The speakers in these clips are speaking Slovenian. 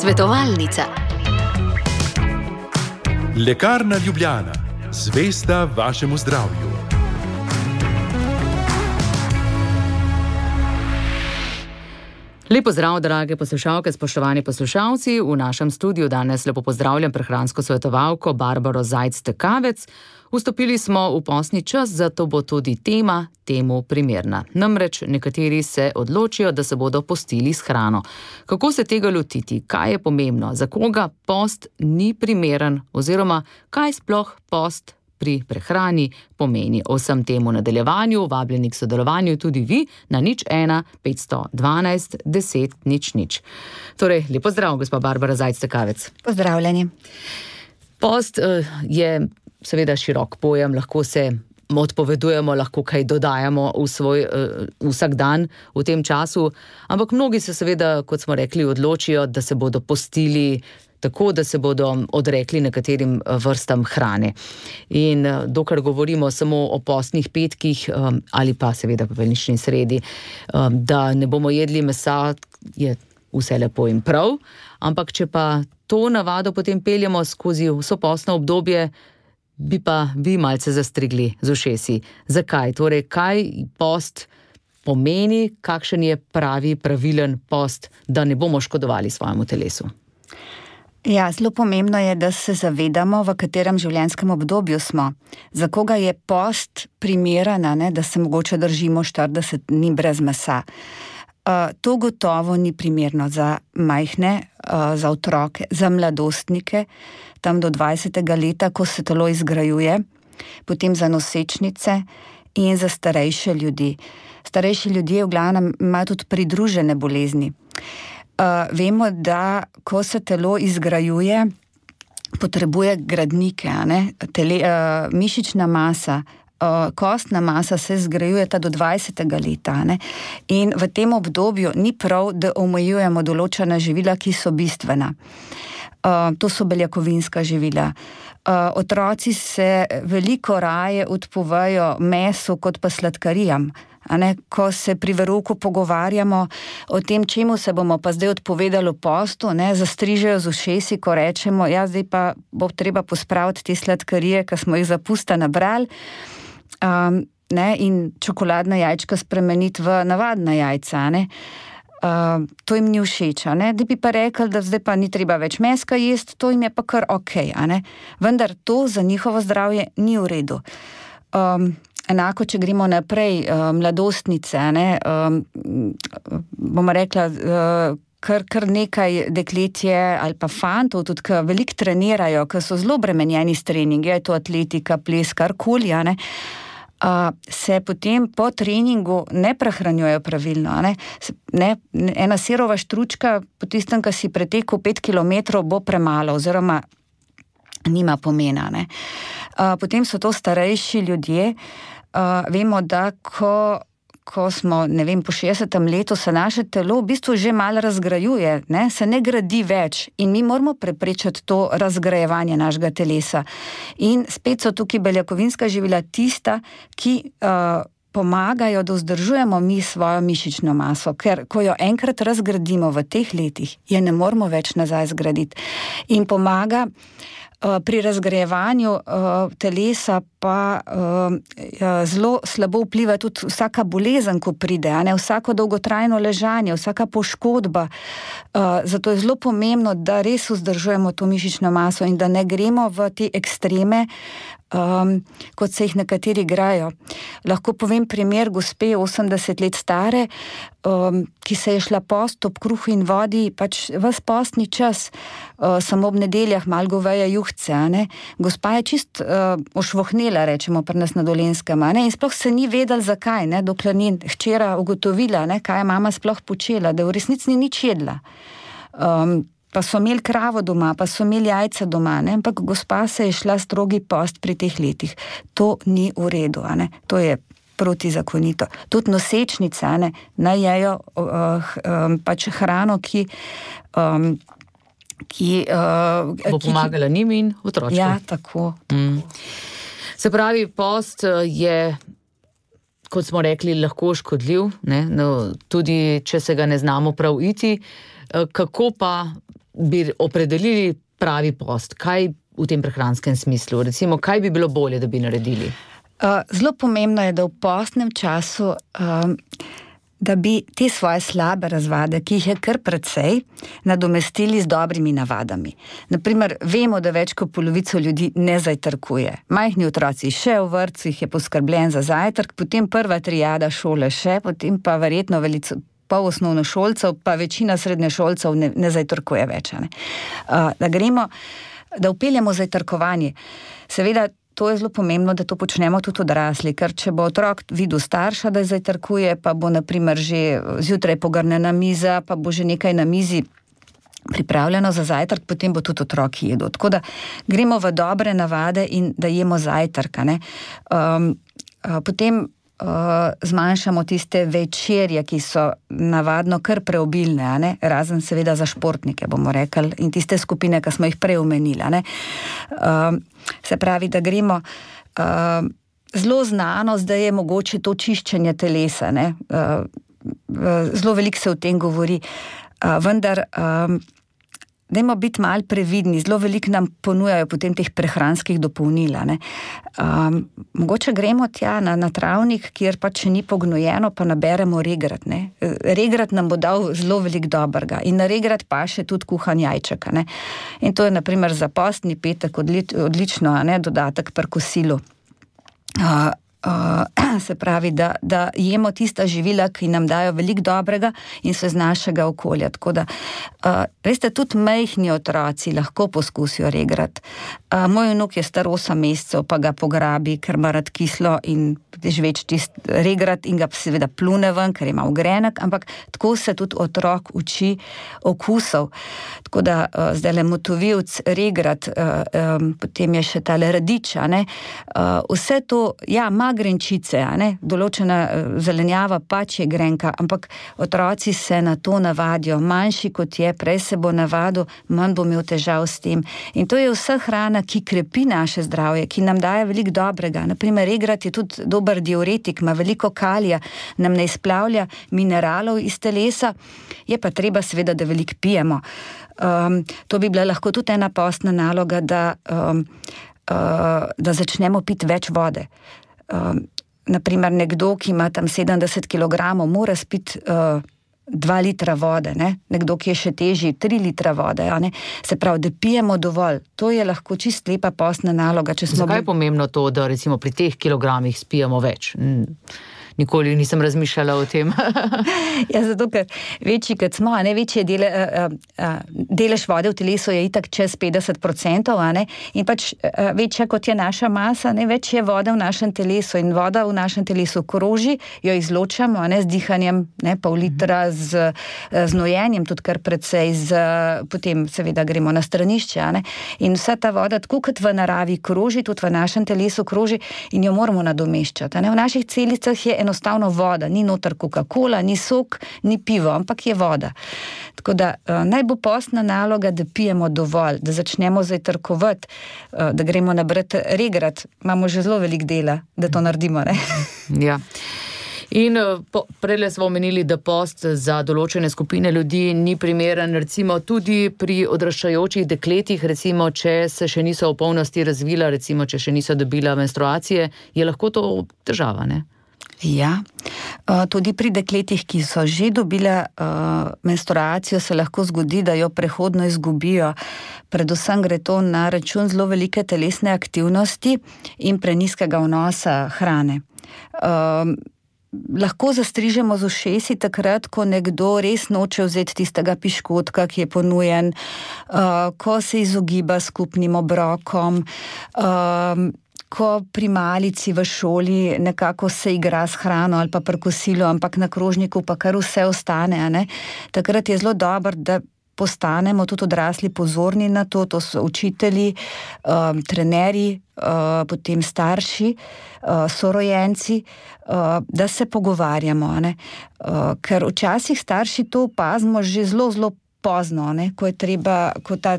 Svetovalnica. Lekarna Ljubljana. Zvesta vašemu zdravju. Lepo zdrav, drage poslušalke, spoštovani poslušalci. V našem studiu danes lepo pozdravljam prehransko svetovalko Barbaro Zajc-Tekavec. Vstopili smo v postni čas, zato bo tudi tema temu primerna. Namreč nekateri se odločijo, da se bodo postili s hrano. Kako se tega lotiti? Kaj je pomembno? Za koga post ni primeren? Oziroma, kaj sploh post pri prehrani pomeni? O vsem temu nadaljevanju, vabljeni k sodelovanju tudi vi na 01 512 10 00. Torej, lepo zdrav, gospa Barbara Zajc-Tekavec. Pozdravljeni. Post je seveda širok pojem, lahko se odpovedujemo, lahko kaj dodajamo v svoj vsak dan v tem času, ampak mnogi se seveda, kot smo rekli, odločijo, da se bodo postili tako, da se bodo odrekli nekaterim vrstam hrane. In dokler govorimo samo o postnih petkih ali pa seveda poveljnični sredi, da ne bomo jedli mesa, je vse lepo in prav, ampak če pa to navado potem peljemo skozi vso postno obdobje, bi pa vi malce zastrigli z ušesi. Zakaj? Torej, kaj post pomeni, kakšen je pravilen post, da ne bomo škodovali svojemu telesu? Ja, zelo pomembno je, da se zavedamo, v katerem življenjskem obdobju smo. Za koga je post primeren, da se mogoče držimo 40 dni brez mesa. To gotovo ni primerno za majhne, za otroke, za mladostnike, tam do 20. leta, ko se telo izgrajuje, potem za nosečnice in za starejše ljudi. Starejši ljudje v glavnem imajo tudi pridružene bolezni. Vemo, da ko se telo izgrajuje, potrebuje gradnike, mišična masa, kostna masa se zgrajuje do 20. leta. In v tem obdobju ni prav, da omejujemo določena živila, ki so bistvena. To so beljakovinska živila. Otroci se veliko raje odpovejo mesu kot pa sladkarijam. Ko se pri verouku pogovarjamo o tem, čemu se bomo pa zdaj odpovedali v postu, zastrižejo z ušesi, ko rečemo, ja, zdaj pa bo treba pospraviti te sladkarije, ki smo jih za pusta nabrali, in čokoladna jajčka spremeniti v navadna jajca. To jim ni všeč, da bi pa rekli, da zdaj pa ni treba več meska jesti, to jim je pa kar okej, vendar to za njihovo zdravje ni v redu. Enako, če gremo naprej, mladostnice, bomo rekla, kar nekaj dekletje ali pa fantov, tudi ki veliko trenirajo, ki so zelo bremenjeni s treningi, je to atletika, ples, karkoli, se potem po treningu ne prehranjujejo pravilno. Ena sirova štručka po tistem, ki si pretekel 5 kilometrov, bo premalo oziroma nima pomena. Potem so to starejši ljudje. Vemo, da ko smo, po 60. letu, se naše telo v bistvu že malo razgrajuje, se ne gradi več in mi moramo preprečiti to razgrajevanje našega telesa. In spet so tukaj beljakovinska živila tista, ki pomagajo, da vzdržujemo mi svojo mišično maso, ker ko jo enkrat razgradimo v teh letih, je ne moramo več nazaj zgraditi. In pomaga pri razgrajevanju telesa pa zelo slabo vpliva tudi vsaka bolezen, ko pride, vsako dolgotrajno ležanje, vsaka poškodba. Zato je zelo pomembno, da res vzdržujemo to mišično maso in da ne gremo v te ekstreme, kot se jih nekateri igrajo. Lahko povem primer gospe 80 let stare, ki se je šla post ob kruhu in vodi, pač ves postni čas, samo ob nedeljah malo goveje juhce. Gospa je čist ošvohnela, rečemo pri nas na Dolenjskem, in sploh se ni vedela zakaj, dokler ni hčera ugotovila, kaj je mama sploh počela, da v resnici ni nič jedla. Pa so imeli kravo doma, pa so imeli jajca doma, ampak gospa se je šla strogi post pri teh letih. To ni v redu, to je protizakonito. Tudi nosečnice, naj jejo pač hrano, ki bo pomagala njim in otročkom. Ja, tako. Se pravi, post je, kot smo rekli, lahko škodljiv, tudi če se ga ne znamo prav iti. Kako pa bi opredelili pravi post? Kaj v tem prehranskem smislu? Recimo, kaj bi bilo bolje, da bi naredili? Zelo pomembno je, da v postnem času da bi te svoje slabe razvade, ki jih je kar precej, nadomestili z dobrimi navadami. Naprimer, vemo, da več kot polovico ljudi ne zajtrkuje. Majhni otroci še v vrtcih je poskrbljen za zajtrk, potem prva triada šole še, potem pa verjetno pol osnovnošolcev, pa večina srednješolcev ne zajtrkuje več. Da vpeljemo zajtrkovanje. Seveda, to je zelo pomembno, da to počnemo tudi odrasli, ker če bo otrok videl starša, da zajtrkuje, pa bo naprimer že zjutraj pogrnjena miza, pa bo že nekaj na mizi pripravljeno za zajtrk, potem bo tudi otrok jedel. Tako da gremo v dobre navade in da jemo zajtrk. Potem zmanjšamo tiste večerje, ki so navadno kar preobilne, razen seveda za športnike, bomo rekli, in tiste skupine, ki smo jih prej omenili. Se pravi, da gremo zelo znano, zdaj je mogoče to čiščenje telesa. Zelo veliko se o tem govori, vendar dajmo biti malo previdni, zelo veliko nam ponujajo potem teh prehranskih dopolnil. Mogoče gremo tja na travnik, kjer pa če ni pognojeno, pa naberemo regrat. Regrat nam bo dal zelo veliko dobrega in na regrat pa še tudi kuhan jajček. In to je naprimer za postni petek odlično dodatek pri kosilu. Se pravi, da jemo tista živila, ki nam dajo veliko dobrega in so iz našega okolja. Tako da, veste, tudi majhni otroci lahko poskusijo regrat. Moj vnuk je star 8 mesecev, pa ga pograbi, ker ima rad kislo in žveč tist regrat in ga seveda plune ven, ker ima ogrenek, ampak tako se tudi otrok uči okusov. Tako da, zdajle motovilc, regrat, potem je še tale radič, vse to, ima grenčice, določena zelenjava pač je grenka, ampak otroci se na to navadijo. Manjši kot je, prej se bo navadil, manj bo imel težav s tem. In to je vsa hrana, ki krepi naše zdravje, ki nam daje veliko dobrega. Naprimer, regrat je tudi dober diuretik, ima veliko kalija, nam ne izplavlja mineralov iz telesa, je pa treba seveda, da veliko pijemo. To bi bila lahko tudi ena postna naloga, da začnemo piti več vode. Naprimer, nekdo, ki ima tam 70 kilogramov, mora spiti 2 litra vode, nekdo, ki je še težji, 3 litra vode. Se pravi, da pijemo dovolj. To je lahko čist lepa postna naloga. Zakaj je pomembno to, da recimo pri teh kilogramih spijemo več? Nikoli nisem razmišljala o tem. Zato, ker večji, kot smo, večji delež vode v telesu je itak čez 50%, in pač večja, kot je naša masa, več je vode v našem telesu in voda v našem telesu kroži, jo izločamo, z dihanjem, pol litra, z znojenjem, tudi kar precej, potem seveda gremo na stranišče, in vsa ta voda, tako kot v naravi kroži, tudi v našem telesu kroži in jo moramo nadomeščati. V naših celicah je enostavno voda, ni noter Coca-Cola, ni sok, ni pivo, ampak je voda. Tako da naj bo postna naloga, da pijemo dovolj, da začnemo zajtrkovati, da gremo nabrati regrat. Imamo že zelo veliko dela, da to naredimo. Ja. In prejle smo omenili, da post za določene skupine ljudi ni primeren, recimo tudi pri odraščajočih dekletih, recimo, če se še niso v polnosti razvila, recimo, če še niso dobila menstruacije, je lahko to težava, Ja, tudi pri dekletih, ki so že dobile menstruacijo, se lahko zgodi, da jo prehodno izgubijo. Predvsem gre to na račun zelo velike telesne aktivnosti in prenizkega vnosa hrane. Lahko zastrižemo z ušesi takrat, ko nekdo res noče vzeti tistega piškotka, ki je ponujen, ko se izogiba skupnim obrokom, ko pri malici v šoli nekako se igra s hrano ali pa pri kosilu, ampak na krožniku pa kar vse ostane. Takrat je zelo dobro, da postanemo tudi odrasli pozorni na to, to so učitelji, trenerji, potem starši, sorojenci, da se pogovarjamo. Ker včasih starši to opazimo že zelo, zelo pozno, ko ta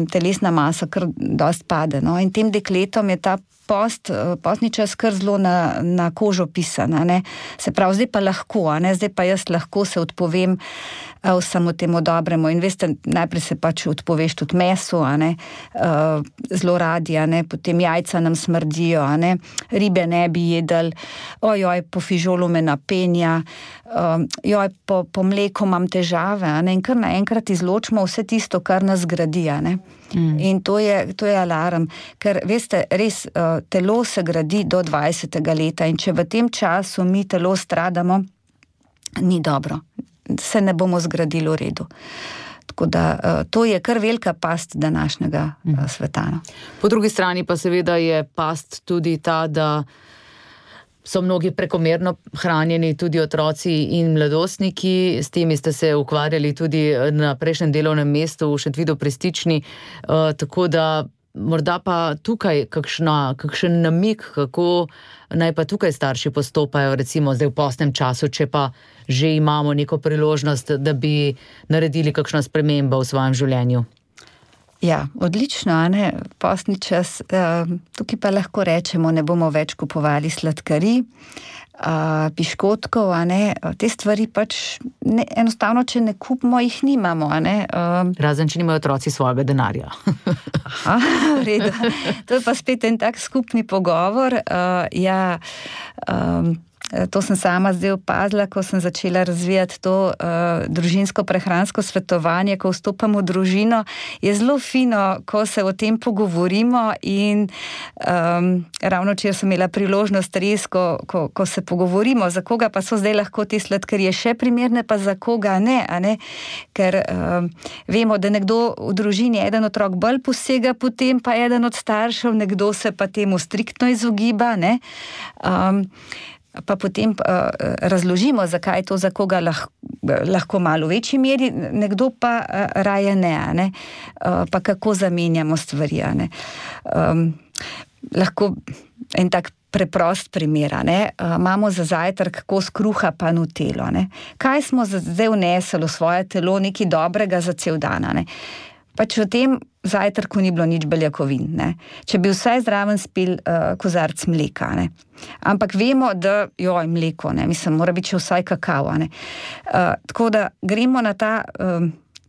telesna masa kar dosti pade. In tem dekletom je ta postni čas kar zelo na kožo pisan, ne. Se pravi, zdaj pa lahko, ne, zdaj pa jaz lahko se odpovem vsemu temu dobremu. In veste, najprej se pač odpoveš tudi mesu, ne, zelo radi, ne, potem jajca nam smrdijo, ne, ribe ne bi jedli, ojoj, po fižolu me napenja, joj, po mleku imam težave, ne, in kar naenkrat izločimo vse tisto, kar nas gradi, ne. In to je alarm, ker veste, res telo se gradi do 20. leta in če v tem času mi telo stradamo, ni dobro. Se ne bomo zgradili v redu. Tako da to je kar velika past današnjega sveta. Po drugi strani pa seveda je past tudi ta, da so mnogi prekomerno hranjeni, tudi otroci in mladostniki. S temi ste se ukvarjali tudi na prejšnjem delovnem mestu v Šentvidu pri Stični, tako da morda pa tukaj kakšen namig, kako naj pa tukaj starši postopajo, recimo zdaj v postnem času, če pa že imamo neko priložnost, da bi naredili kakšno spremembo v svojem življenju. Ja, odlično, ne, postni čas, tukaj pa lahko rečemo, ne bomo več kupovali sladkarij, piškotkov, ne, te stvari pač enostavno, če ne kupimo, jih nimamo, ne. Razen, če nimajo otroci svojega denarja. Aha, v redu. To je pa spet en tak skupni pogovor, to sem sama zdaj opazila, ko sem začela razvijati to družinsko prehransko svetovanje, ko vstopam v družino, je zelo fino, ko se o tem pogovorimo in ravno včeraj sem imela priložnost res, ko se pogovorimo, za koga pa so zdaj lahko te sladkarije še primerne, pa za koga ne, a ne? Ker vemo, da nekdo v družini, eden otrok bolj posega, potem pa eden od staršev, nekdo se pa temu striktno izogiba, ne? Pa potem razložimo, zakaj je to za koga lahko malo v večji meri, nekdo pa raje ne, pa kako zamenjamo stvari, ne. Lahko en tak preprost primer, ne. Imamo za zajtrk kos kruha pa nutelo, ne. Kaj smo zdaj vnesli v svoje telo nekaj dobrega za cel dan, ne. Pač v tem zajtrku ni bilo nič beljakovin, ne. Če bi vsaj zraven spil kozarc mleka, ne. Ampak vemo, da mleko, ne, mislim, mora biti še vsaj kakao, ne. Tako da gremo na ta,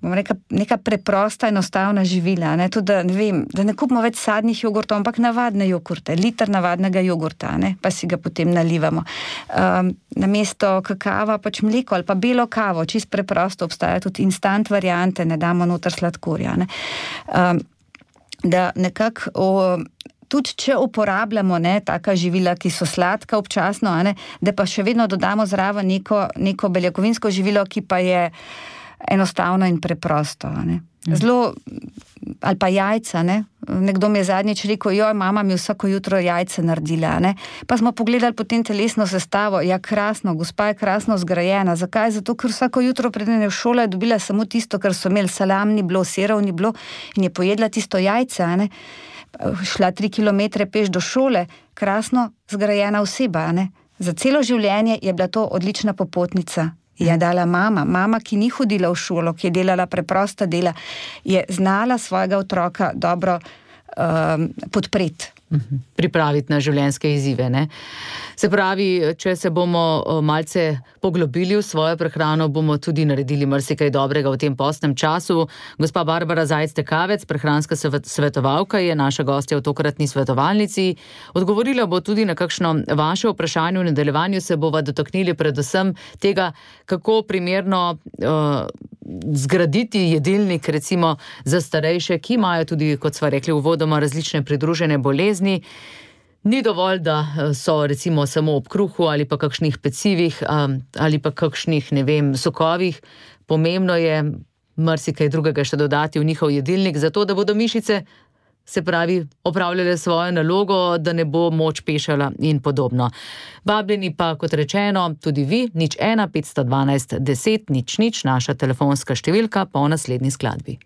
bom rekla, neka preprosta, enostavna živila, ne, tudi da, ne vem, da ne kupimo več sadnih jogurtov, ampak navadne jogurte, liter navadnega jogurta, ne, pa si ga potem nalivamo. Namesto kakava pač mleko ali pa belo kavo, čisto preprosto, obstaja tudi instant variante, ne damo noter sladkorja, ne. Da nekako tudi če uporabljamo, ne, taka živila, ki so sladka občasno, ne, da pa še vedno dodamo zraven neko beljakovinsko živilo, ki pa je enostavno in preprosto, ne. Zelo, ali pa jajca, ne. Nekdo mi je zadnjič rekel, mama mi vsako jutro jajce naredila, ne. Pa smo pogledali potem telesno sestavo, ja, krasno, gospa je krasno zgrajena. Zakaj? Zato, ker vsako jutro preden je v šolo je dobila samo tisto, kar so imeli, salam ni bilo, sirov ni bilo in je pojedla tisto jajce, ne. Šla 3 kilometre peš do šole, krasno zgrajena oseba, ne. Za celo življenje je bila to odlična popotnica. Je dala mama, ki ni hodila v šolo, ki je delala preprosta dela, je znala svojega otroka dobro podpreti. Pripraviti na življenjske izzive, ne? Se pravi, če se bomo malce poglobili v svojo prehrano, bomo tudi naredili marsikaj dobrega v tem postnem času. Gospa Barbara Zajc-Tekavec, prehranska svetovalka, je naša gostja v tokratni svetovalnici. Odgovorila bo tudi na kakšno vaše vprašanje. V nadaljevanju se bova dotaknili predvsem tega, kako primerno zgraditi jedilnik, recimo za starejše, ki imajo tudi, kot sva rekli uvodoma, različne pridružene bolezni. Ni dovolj, da so recimo samo ob kruhu ali pa kakšnih pecivih ali pa kakšnih, ne vem, sokovih. Pomembno je marsikaj drugega še dodati v njihov jedilnik, zato da bodo mišice, se pravi, opravljale svojo nalogo, da ne bo moč pešala in podobno. Vabljeni pa, kot rečeno, tudi vi, 01 512 10 00, naša telefonska številka po naslednji skladbi.